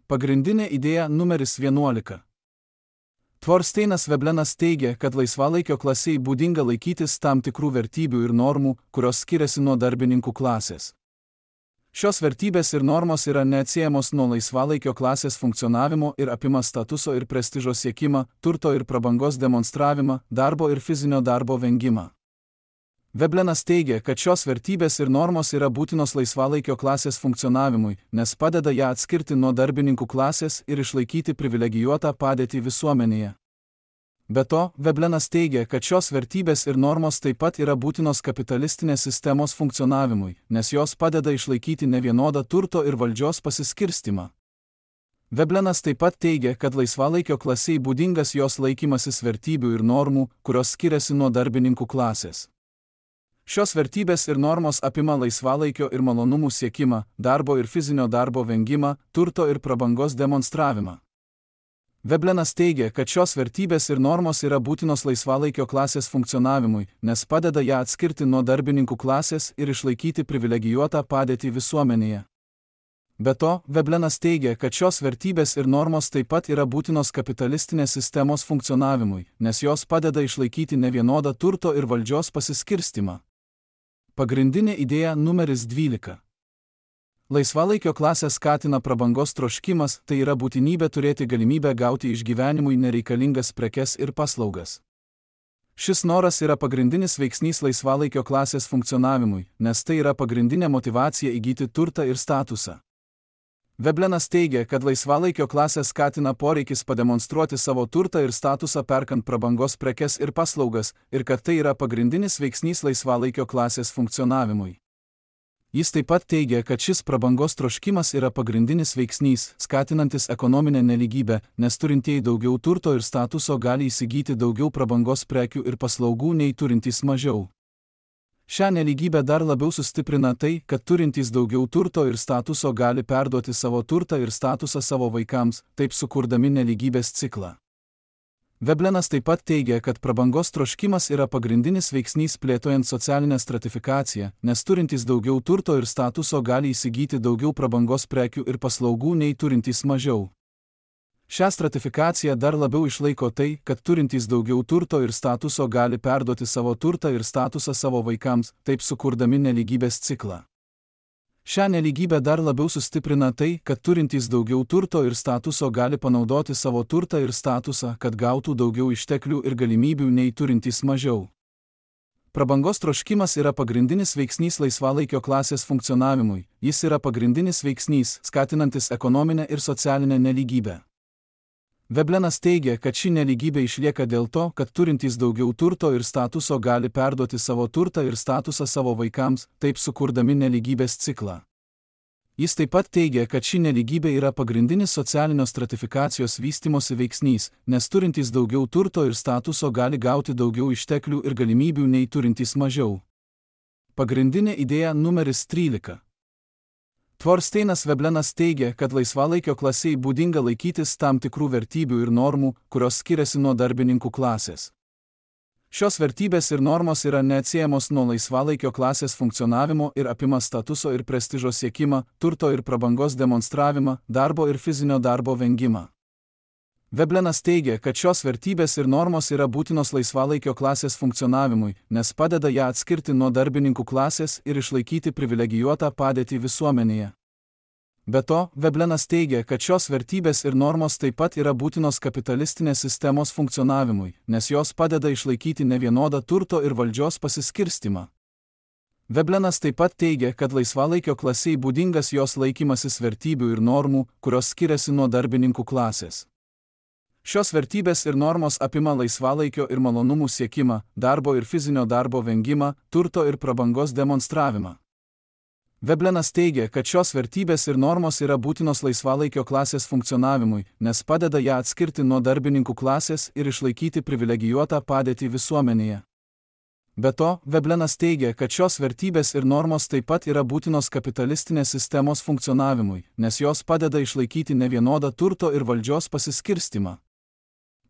Pagrindinė idėja numeris vienuolika. Tvorsteinas Veblenas teigia, kad laisvalaikio klasiai būdinga laikytis tam tikrų vertybių ir normų, kurios skiriasi nuo darbininkų klasės. Šios vertybės ir normos yra neatsiejamos nuo laisvalaikio klasės funkcionavimo ir apima statuso ir prestižo siekimą, turto ir prabangos demonstravimą, darbo ir fizinio darbo vengimą. Veblenas teigia, kad šios vertybės ir normos yra būtinos laisvalaikio klasės funkcionavimui, nes padeda ją atskirti nuo darbininkų klasės ir išlaikyti privilegijuotą padėtį visuomenėje. Be to, Veblenas teigia, kad šios vertybės ir normos taip pat yra būtinos kapitalistinės sistemos funkcionavimui, nes jos padeda išlaikyti nevienodą turto ir valdžios pasiskirstimą. Veblenas taip pat teigia, kad laisvalaikio klasiai būdingas jos laikymasis vertybių ir normų, kurios skiriasi nuo darbininkų klasės. Šios vertybės ir normos apima laisvalaikio ir malonumų siekimą, darbo ir fizinio darbo vengimą, turto ir prabangos demonstravimą. Veblenas teigia, kad šios vertybės ir normos yra būtinos laisvalaikio klasės funkcionavimui, nes padeda ją atskirti nuo darbininkų klasės ir išlaikyti privilegijuotą padėtį visuomenėje. Be to, Veblenas teigia, kad šios vertybės ir normos taip pat yra būtinos kapitalistinės sistemos funkcionavimui, nes jos padeda išlaikyti nevienodą turto ir valdžios pasiskirstimą. Pagrindinė idėja numeris dvylika. Laisvalaikio klasę skatina prabangos troškimas, tai yra būtinybė turėti galimybę gauti išgyvenimui nereikalingas prekes ir paslaugas. Šis noras yra pagrindinis veiksnys laisvalaikio klasės funkcionavimui, nes tai yra pagrindinė motyvacija įgyti turtą ir statusą. Veblenas teigia, kad laisvalaikio klasę skatina poreikis pademonstruoti savo turtą ir statusą perkant prabangos prekes ir paslaugas, ir kad tai yra pagrindinis veiksnys laisvalaikio klasės funkcionavimui. Jis taip pat teigia, kad šis prabangos troškimas yra pagrindinis veiksnys, skatinantis ekonominę nelygybę, nes turintieji daugiau turto ir statuso gali įsigyti daugiau prabangos prekių ir paslaugų nei turintys mažiau. Šią nelygybę dar labiau sustiprina tai, kad turintys daugiau turto ir statuso gali perduoti savo turtą ir statusą savo vaikams, taip sukurdami nelygybės ciklą. Veblenas taip pat teigia, kad prabangos troškimas yra pagrindinis veiksnys plėtojant socialinę stratifikaciją, nes turintys daugiau turto ir statuso gali įsigyti daugiau prabangos prekių ir paslaugų nei turintys mažiau. Šią stratifikaciją dar labiau išlaiko tai, kad turintys daugiau turto ir statuso gali perduoti savo turtą ir statusą savo vaikams, taip sukurdami nelygybės ciklą. Šią nelygybę dar labiau sustiprina tai, kad turintys daugiau turto ir statuso gali panaudoti savo turtą ir statusą, kad gautų daugiau išteklių ir galimybių nei turintys mažiau. Prabangos troškimas yra pagrindinis veiksnys laisvalaikio klasės funkcionavimui, jis yra pagrindinis veiksnys, skatinantis ekonominę ir socialinę nelygybę. Veblenas teigia, kad ši nelygybė išlieka dėl to, kad turintys daugiau turto ir statuso gali perduoti savo turtą ir statusą savo vaikams, taip sukurdami nelygybės ciklą. Jis taip pat teigia, kad ši nelygybė yra pagrindinis socialinio stratifikacijos vystymosi veiksnys, nes turintys daugiau turto ir statuso gali gauti daugiau išteklių ir galimybių nei turintys mažiau. Pagrindinė idėja numeris trylika. Tvorsteinas Veblenas teigia, kad laisvalaikio klasei būdinga laikytis tam tikrų vertybių ir normų, kurios skiriasi nuo darbininkų klasės. Šios vertybės ir normos yra neatsiejamos nuo laisvalaikio klasės funkcionavimo ir apima statuso ir prestižo siekimą, turto ir prabangos demonstravimą, darbo ir fizinio darbo vengimą. Veblenas teigia, kad šios vertybės ir normos yra būtinos laisvalaikio klasės funkcionavimui, nes padeda ją atskirti nuo darbininkų klasės ir išlaikyti privilegijuotą padėtį visuomenėje. Be to, Veblenas teigia, kad šios vertybės ir normos taip pat yra būtinos kapitalistinės sistemos funkcionavimui, nes jos padeda išlaikyti nevienodą turto ir valdžios pasiskirstimą. Veblenas taip pat teigia, kad laisvalaikio klasei būdingas jos laikymasis vertybių ir normų, kurios skiriasi nuo darbininkų klasės. Šios vertybės ir normos apima laisvalaikio ir malonumų siekimą, darbo ir fizinio darbo vengimą, turto ir prabangos demonstravimą. Veblenas teigia, kad šios vertybės ir normos yra būtinos laisvalaikio klasės funkcionavimui, nes padeda ją atskirti nuo darbininkų klasės ir išlaikyti privilegijuotą padėtį visuomenėje. Be to, Veblenas teigia, kad šios vertybės ir normos taip pat yra būtinos kapitalistinės sistemos funkcionavimui, nes jos padeda išlaikyti nevienodą turto ir valdžios pasiskirstimą.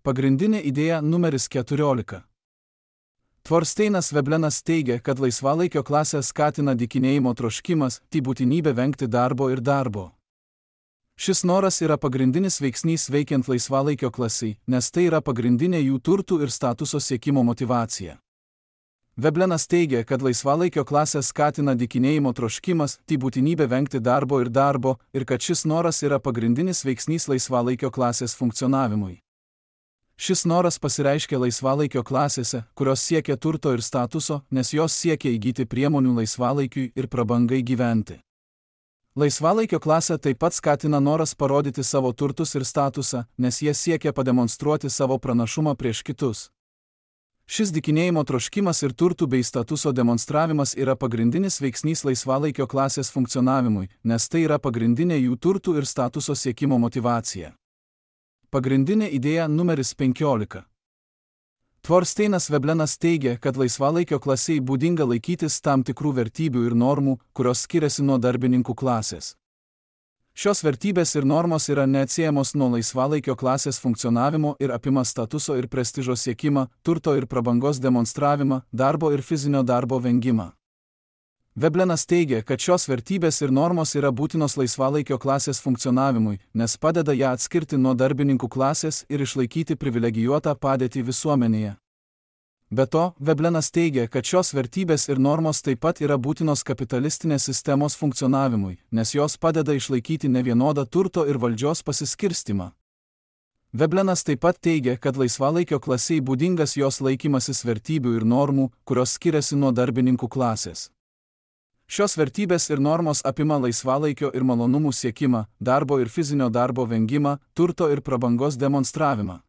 Pagrindinė idėja numeris keturiolika. Tvorsteinas Veblenas teigia, kad laisvalaikio klasę skatina dykinėjimo troškimas, tai būtinybė vengti darbo ir darbo. Šis noras yra pagrindinis veiksnys veikiant laisvalaikio klasei, nes tai yra pagrindinė jų turtų ir statuso siekimo motyvacija. Veblenas teigia, kad laisvalaikio klasę skatina dykinėjimo troškimas, tai būtinybė vengti darbo ir darbo, ir kad šis noras yra pagrindinis veiksnys laisvalaikio klasės funkcionavimui. Šis noras pasireiškia laisvalaikio klasėse, kurios siekia turto ir statuso, nes jos siekia įgyti priemonių laisvalaikiui ir prabangai gyventi. Laisvalaikio klasę taip pat skatina noras parodyti savo turtus ir statusą, nes jie siekia pademonstruoti savo pranašumą prieš kitus. Šis dykinėjimo troškimas ir turtų bei statuso demonstravimas yra pagrindinis veiksnys laisvalaikio klasės funkcionavimui, nes tai yra pagrindinė jų turtų ir statuso siekimo motyvacija. Pagrindinė idėja numeris penkiolika. Tvorsteinas Veblenas teigia, kad laisvalaikio klasei būdinga laikytis tam tikrų vertybių ir normų, kurios skiriasi nuo darbininkų klasės. Šios vertybės ir normos yra neatsiejamos nuo laisvalaikio klasės funkcionavimo ir apima statuso ir prestižo siekimą, turto ir prabangos demonstravimą, darbo ir fizinio darbo vengimą. Veblenas teigia, kad šios vertybės ir normos yra būtinos laisvalaikio klasės funkcionavimui, nes padeda ją atskirti nuo darbininkų klasės ir išlaikyti privilegijuotą padėtį visuomenėje. Be to, Veblenas teigia, kad šios vertybės ir normos taip pat yra būtinos kapitalistinės sistemos funkcionavimui, nes jos padeda išlaikyti nevienodą turto ir valdžios pasiskirstimą. Veblenas taip pat teigia, kad laisvalaikio klasei būdingas jos laikymasis vertybių ir normų, kurios skiriasi nuo darbininkų klasės. Šios vertybės ir normos apima laisvalaikio ir malonumų siekimą, darbo ir fizinio darbo vengimą, turto ir prabangos demonstravimą.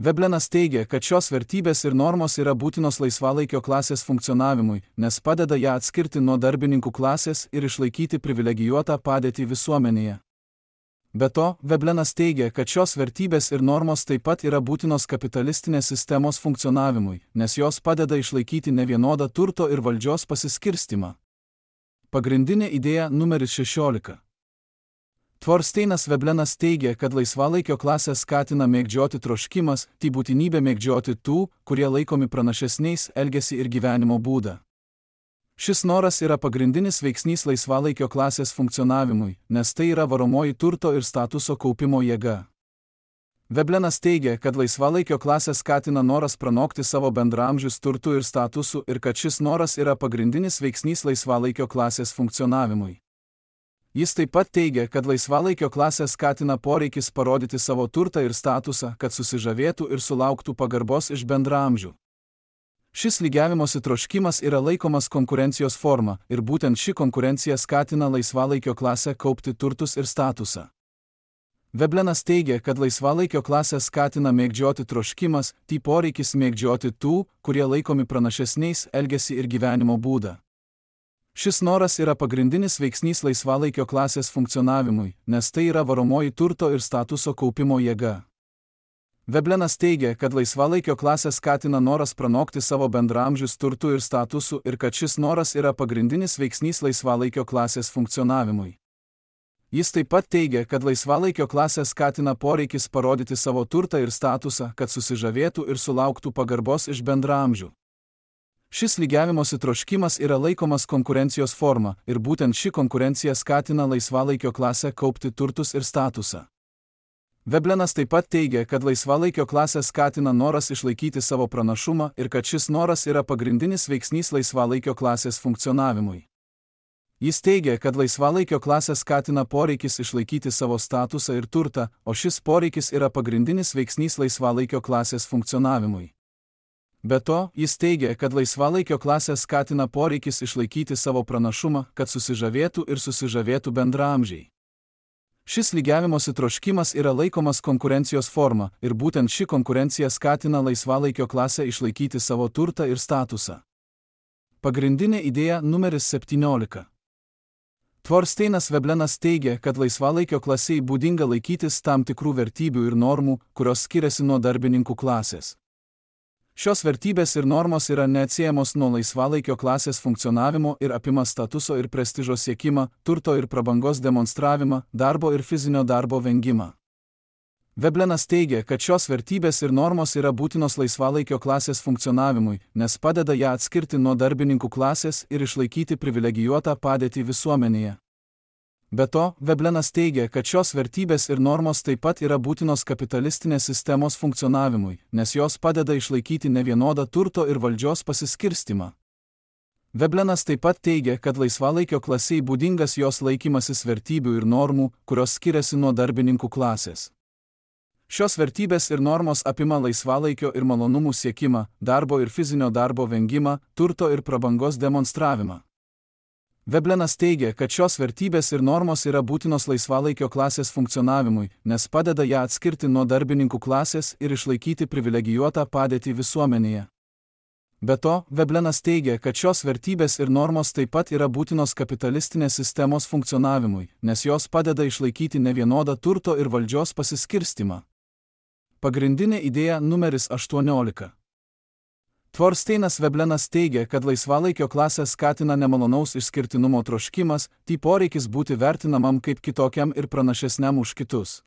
Veblenas teigia, kad šios vertybės ir normos yra būtinos laisvalaikio klasės funkcionavimui, nes padeda ją atskirti nuo darbininkų klasės ir išlaikyti privilegijuotą padėtį visuomenėje. Be to, Veblenas teigia, kad šios vertybės ir normos taip pat yra būtinos kapitalistinės sistemos funkcionavimui, nes jos padeda išlaikyti nevienodą turto ir valdžios pasiskirstimą. Pagrindinė idėja numeris šešiolika. Tvorsteinas Veblenas teigia, kad laisvalaikio klasę skatina mėgdžioti troškimas, tai būtinybė mėgdžioti tų, kurie laikomi pranašesniais, elgesį ir gyvenimo būdą. Šis noras yra pagrindinis veiksnys laisvalaikio klasės funkcionavimui, nes tai yra varomoji turto ir statuso kaupimo jėga. Veblenas teigia, kad laisvalaikio klasę skatina noras pranokti savo bendraamžius turtų ir statusų ir kad šis noras yra pagrindinis veiksnys laisvalaikio klasės funkcionavimui. Jis taip pat teigia, kad laisvalaikio klasę skatina poreikis parodyti savo turtą ir statusą, kad susižavėtų ir sulauktų pagarbos iš bendraamžių. Šis lygiavimosi troškimas yra laikomas konkurencijos forma ir būtent ši konkurencija skatina laisvalaikio klasę kaupti turtus ir statusą. Veblenas teigia, kad laisvalaikio klasę skatina mėgdžioti troškimas, tai poreikis mėgdžioti tų, kurie laikomi pranašesniais, elgesį ir gyvenimo būdą. Šis noras yra pagrindinis veiksnys laisvalaikio klasės funkcionavimui, nes tai yra varomoji turto ir statuso kaupimo jėga. Veblenas teigia, kad laisvalaikio klasę skatina noras pranokti savo bendraamžius turtų ir statusų ir kad šis noras yra pagrindinis veiksnys laisvalaikio klasės funkcionavimui. Jis taip pat teigia, kad laisvalaikio klasę skatina poreikis parodyti savo turtą ir statusą, kad susižavėtų ir sulauktų pagarbos iš bendraamžių. Šis lygiavimosi troškimas yra laikomas konkurencijos forma ir būtent ši konkurencija skatina laisvalaikio klasę kaupti turtus ir statusą. Veblenas taip pat teigia, kad laisvalaikio klasę skatina noras išlaikyti savo pranašumą ir kad šis noras yra pagrindinis veiksnys laisvalaikio klasės funkcionavimui. Jis teigia, kad laisvalaikio klasę skatina poreikis išlaikyti savo statusą ir turtą, o šis poreikis yra pagrindinis veiksnys laisvalaikio klasės funkcionavimui. Be to, jis teigia, kad laisvalaikio klasę skatina poreikis išlaikyti savo pranašumą, kad susižavėtų ir susižavėtų bendraamžiai. Šis lygiavimosi troškimas yra laikomas konkurencijos forma ir būtent ši konkurencija skatina laisvalaikio klasę išlaikyti savo turtą ir statusą. Pagrindinė idėja numeris septyniolika. Tvorsteinas Veblenas teigia, kad laisvalaikio klasiai būdinga laikytis tam tikrų vertybių ir normų, kurios skiriasi nuo darbininkų klasės. Šios vertybės ir normos yra neatsiejamos nuo laisvalaikio klasės funkcionavimo ir apima statuso ir prestižo siekimą, turto ir prabangos demonstravimą, darbo ir fizinio darbo vengimą. Veblenas teigia, kad šios vertybės ir normos yra būtinos laisvalaikio klasės funkcionavimui, nes padeda ją atskirti nuo darbininkų klasės ir išlaikyti privilegijuotą padėtį visuomenėje. Be to, Veblenas teigia, kad šios vertybės ir normos taip pat yra būtinos kapitalistinės sistemos funkcionavimui, nes jos padeda išlaikyti nevienodą turto ir valdžios pasiskirstimą. Veblenas taip pat teigia, kad laisvalaikio klasiai būdingas jos laikymasis vertybių ir normų, kurios skiriasi nuo darbininkų klasės. Šios vertybės ir normos apima laisvalaikio ir malonumų siekimą, darbo ir fizinio darbo vengimą, turto ir prabangos demonstravimą. Veblenas teigia, kad šios vertybės ir normos yra būtinos laisvalaikio klasės funkcionavimui, nes padeda ją atskirti nuo darbininkų klasės ir išlaikyti privilegijuotą padėtį visuomenėje. Be to, Veblenas teigia, kad šios vertybės ir normos taip pat yra būtinos kapitalistinės sistemos funkcionavimui, nes jos padeda išlaikyti nevienodą turto ir valdžios pasiskirstimą. Pagrindinė idėja numeris aštuoniolika. Tvorsteinas Veblenas teigia, kad laisvalaikio klasę skatina nemalonaus išskirtinumo troškimas, tai poreikis būti vertinamam kaip kitokiam ir pranašesniam už kitus.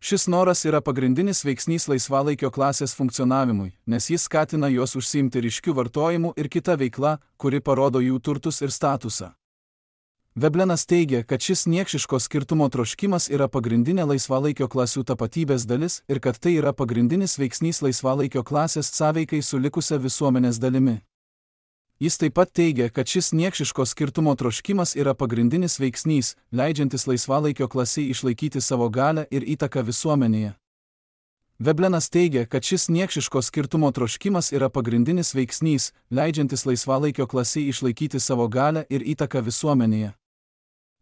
Šis noras yra pagrindinis veiksnys laisvalaikio klasės funkcionavimui, nes jis skatina juos užsiimti ryškiu vartojimu ir kita veikla, kuri parodo jų turtus ir statusą. Veblenas teigia, kad šis niekšiško skirtumo troškimas yra pagrindinė laisvalaikio klasių tapatybės dalis ir kad tai yra pagrindinis veiksnys laisvalaikio klasės sąveikai su likusia visuomenės dalimi. Jis taip pat teigia, kad šis niekšiško skirtumo troškimas yra pagrindinis veiksnys, leidžiantis laisvalaikio klasiai išlaikyti savo galią ir įtaką visuomenėje. Veblenas teigia, kad šis niekšiško skirtumo troškimas yra pagrindinis veiksnys, leidžiantis laisvalaikio klasiai išlaikyti savo galią ir įtaką visuomenėje.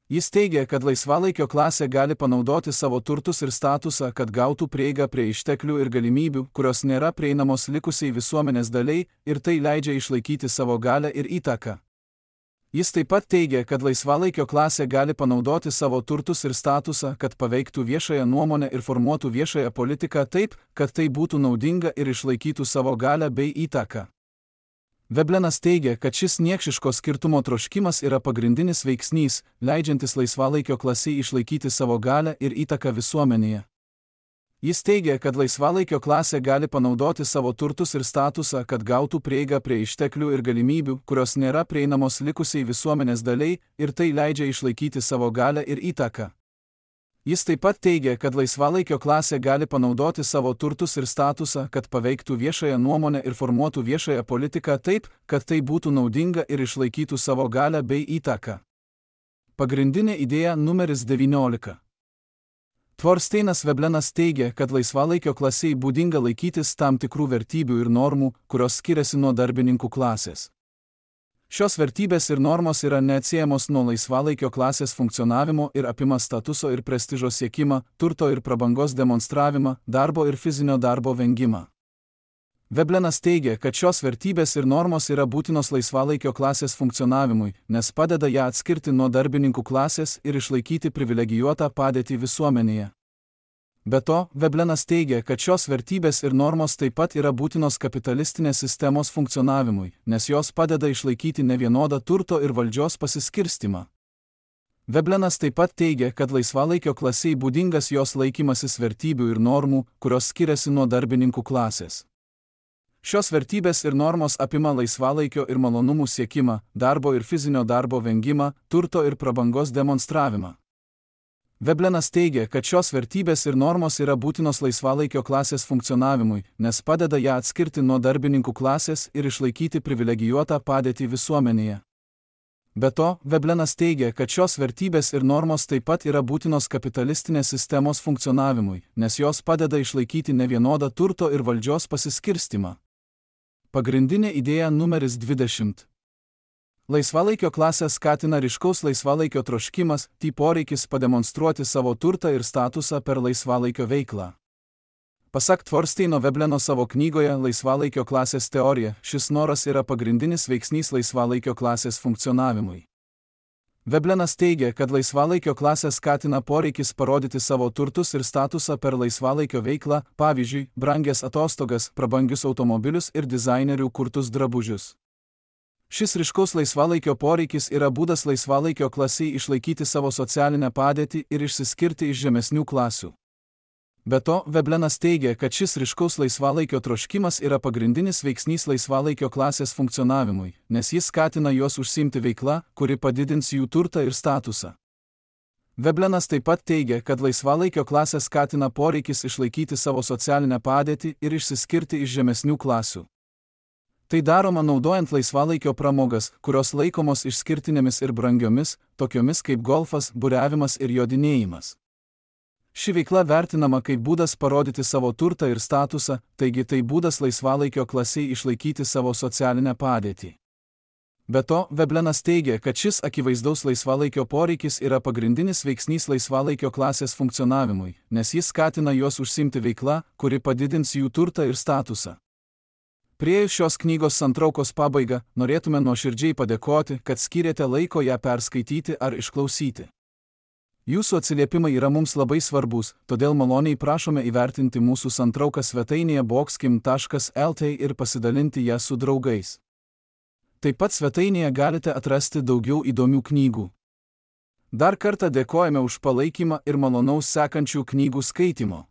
Jis teigia, kad laisvalaikio klasė gali panaudoti savo turtus ir statusą, kad gautų prieigą prie išteklių ir galimybių, kurios nėra prieinamos likusiai visuomenės daliai, ir tai leidžia išlaikyti savo galią ir įtaką. Jis taip pat teigia, kad laisvalaikio klasė gali panaudoti savo turtus ir statusą, kad paveiktų viešąją nuomonę ir formuotų viešąją politiką taip, kad tai būtų naudinga ir išlaikytų savo galią bei įtaką. Veblenas teigia, kad šis niekšiško skirtumo troškimas yra pagrindinis veiksnys, leidžiantis laisvalaikio klasiai išlaikyti savo galią ir įtaką visuomenėje. Jis teigia, kad laisvalaikio klasė gali panaudoti savo turtus ir statusą, kad gautų prieigą prie išteklių ir galimybių, kurios nėra prieinamos likusiai visuomenės daliai, ir tai leidžia išlaikyti savo galią ir įtaką. Jis taip pat teigia, kad laisvalaikio klasė gali panaudoti savo turtus ir statusą, kad paveiktų viešąją nuomonę ir formuotų viešąją politiką taip, kad tai būtų naudinga ir išlaikytų savo galią bei įtaką. Pagrindinė idėja numeris devyniolika. Tvorsteinas Veblenas teigia, kad laisvalaikio klasiai būdinga laikytis tam tikrų vertybių ir normų, kurios skiriasi nuo darbininkų klasės. Šios vertybės ir normos yra neatsiejamos nuo laisvalaikio klasės funkcionavimo ir apima statuso ir prestižo siekimą, turto ir prabangos demonstravimą, darbo ir fizinio darbo vengimą. Veblenas teigia, kad šios vertybės ir normos yra būtinos laisvalaikio klasės funkcionavimui, nes padeda ją atskirti nuo darbininkų klasės ir išlaikyti privilegijuotą padėtį visuomenėje. Be to, Veblenas teigia, kad šios vertybės ir normos taip pat yra būtinos kapitalistinės sistemos funkcionavimui, nes jos padeda išlaikyti nevienodą turto ir valdžios pasiskirstimą. Veblenas taip pat teigia, kad laisvalaikio klasiai būdingas jos laikymasis vertybių ir normų, kurios skiriasi nuo darbininkų klasės. Šios vertybės ir normos apima laisvalaikio ir malonumų siekimą, darbo ir fizinio darbo vengimą, turto ir prabangos demonstravimą. Veblenas teigia, kad šios vertybės ir normos yra būtinos laisvalaikio klasės funkcionavimui, nes padeda ją atskirti nuo darbininkų klasės ir išlaikyti privilegijuotą padėtį visuomenėje. Be to, Veblenas teigia, kad šios vertybės ir normos taip pat yra būtinos kapitalistinės sistemos funkcionavimui, nes jos padeda išlaikyti nevienodą turto ir valdžios pasiskirstimą. Pagrindinė idėja numeris dvidešimt. Laisvalaikio klasę skatina ryškaus laisvalaikio troškimas, tai poreikis pademonstruoti savo turtą ir statusą per laisvalaikio veiklą. Pasak Tvorsteino Vebleno savo knygoje Laisvalaikio klasės teorija, šis noras yra pagrindinis veiksnys laisvalaikio klasės funkcionavimui. Veblenas teigia, kad laisvalaikio klasę skatina poreikis parodyti savo turtus ir statusą per laisvalaikio veiklą, pavyzdžiui, brangias atostogas, prabangius automobilius ir dizainerių kurtus drabužius. Šis ryškaus laisvalaikio poreikis yra būdas laisvalaikio klasiai išlaikyti savo socialinę padėtį ir išsiskirti iš žemesnių klasių. Be to, Veblenas teigia, kad šis ryškaus laisvalaikio troškimas yra pagrindinis veiksnys laisvalaikio klasės funkcionavimui, nes jis skatina juos užsiimti veikla, kuri padidins jų turtą ir statusą. Veblenas taip pat teigia, kad laisvalaikio klasę skatina poreikis išlaikyti savo socialinę padėtį ir išsiskirti iš žemesnių klasių. Tai daroma naudojant laisvalaikio pramogas, kurios laikomos išskirtinėmis ir brangiomis, tokiomis kaip golfas, buriavimas ir jodinėjimas. Ši veikla vertinama kaip būdas parodyti savo turtą ir statusą, taigi tai būdas laisvalaikio klasiai išlaikyti savo socialinę padėtį. Be to, Veblenas teigia, kad šis akivaizdaus laisvalaikio poreikis yra pagrindinis veiksnys laisvalaikio klasės funkcionavimui, nes jis skatina juos užsiimti veikla, kuri padidins jų turtą ir statusą. Priėjus šios knygos santraukos pabaigą, norėtume nuoširdžiai padėkoti, kad skyrėte laiko ją perskaityti ar išklausyti. Jūsų atsiliepimai yra mums labai svarbus, todėl maloniai prašome įvertinti mūsų santrauką svetainėje boxkim taškas el tė ir pasidalinti ją su draugais. Taip pat svetainėje galite atrasti daugiau įdomių knygų. Dar kartą dėkojame už palaikymą ir malonaus sekančių knygų skaitimo.